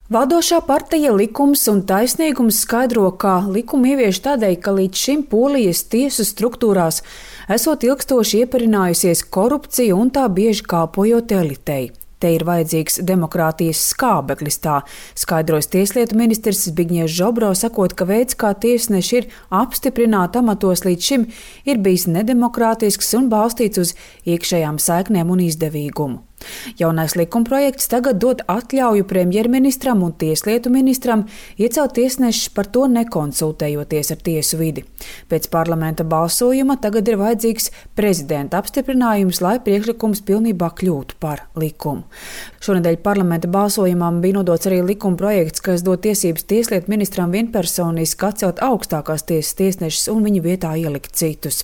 Valdošā partija Likums un taisnīgums skaidro, ka likumu ievieš tādēļ, ka līdz šim Polijas tiesu struktūrās esot ilgstoši ieparinājusies korupcija un tā bieži kalpojot elitei. Te ir vajadzīgs demokrātijas skābeklis, tā skaidrojas tieslietu ministrs Zbigņevs Žobro, sakot, ka veids, kā tiesneši ir apstiprināti amatos līdz šim, ir bijis nedemokrātisks un balstīts uz iekšējām saiknēm un izdevīgumu. Jaunais likumprojekts tagad dod atļauju premjerministram un tieslietu ministram iecelt tiesnešus par to nekonsultējoties ar tiesu vidi. Pēc parlamenta balsojuma tagad ir vajadzīgs prezidenta apstiprinājums, lai priekšlikums pilnībā kļūtu par likumu. Šonedēļ parlamenta balsojumam bija nodots arī likumprojekts, kas dod tiesības tieslietu ministram vienpersoniski atcelt augstākās tiesas tiesnešus un viņu vietā ielikt citus.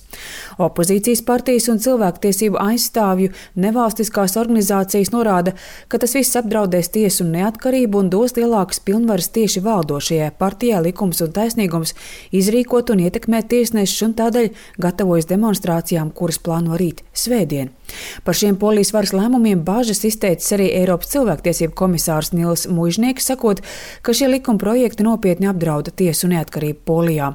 Opozīcijas partijas un cilvēktiesību aizstāvju nevalstiskās organizācijas norāda, ka tas viss apdraudēs tiesu neatkarību un dos lielākas pilnvaras tieši valdošajai partijai Likums un taisnīgums izrīkot un ietekmēt tiesnešus un tādēļ gatavojas demonstrācijām, kuras plāno rīt svētdien. Par šiem Polijas varas lēmumiem bāžas izteicis arī Eiropas cilvēktiesību komisārs Nils Muižnieks, sakot, ka šie likuma projekti nopietni apdrauda tiesu neatkarību Polijā.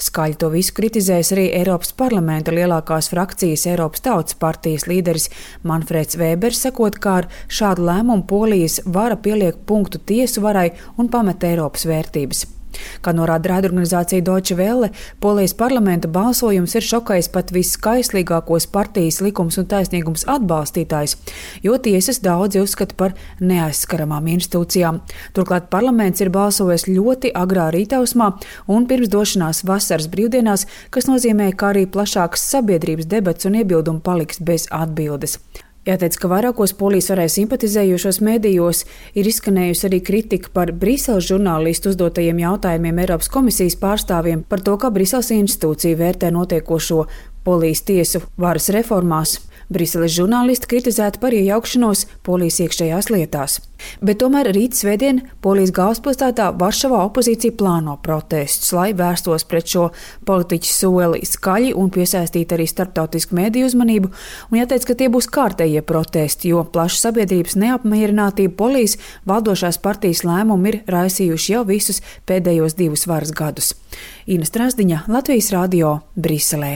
Skaļi to visu kritizēs arī Eiropas parlamenta lielākās frakcijas Eiropas Tautas partijas līderis Manfreds Vēbers, sakot, kā ar šādu lēmumu Polijas vara pieliek punktu tiesu varai un pamet Eiropas vērtības. Kā norāda raidorganizācija Deutsche Welle, Polijas parlamenta balsojums ir šokējis pat viskaislīgākos partijas Likums un taisnīgums atbalstītājs, jo tiesas daudzi uzskata par neaizskaramām institūcijām. Turklāt parlaments ir balsojis ļoti agrā rītausmā un pirms došanās vasaras brīvdienās, kas nozīmē, ka arī plašākas sabiedrības debats un iebildumi paliks bez atbildes. Jāteic, ka vairākos Polijas varai simpatizējošos medijos ir izskanējusi arī kritika par Briseles žurnālistu uzdotajiem jautājumiem Eiropas komisijas pārstāvjiem par to, kā Briseles institūcija vērtē notiekošo Polijas tiesu varas reformās. Briseles žurnālisti kritizēti par iejaukšanos Polijas iekšējās lietās. Bet tomēr rīt svētdien Polijas galvaspilsētā Varšavā opozīcija plāno protestus, lai vērstos pret šo politiķu soli skaļi un piesaistītu arī starptautisku mediju uzmanību. Un jāteic, ka tie būs kārtējie protesti, jo plaša sabiedrības neapmierinātība Polijas valdošās partijas lēmumu ir raisījuši jau visus pēdējos 2 varas gadus. Ina Strasdiņa, Latvijas radio, Briselē.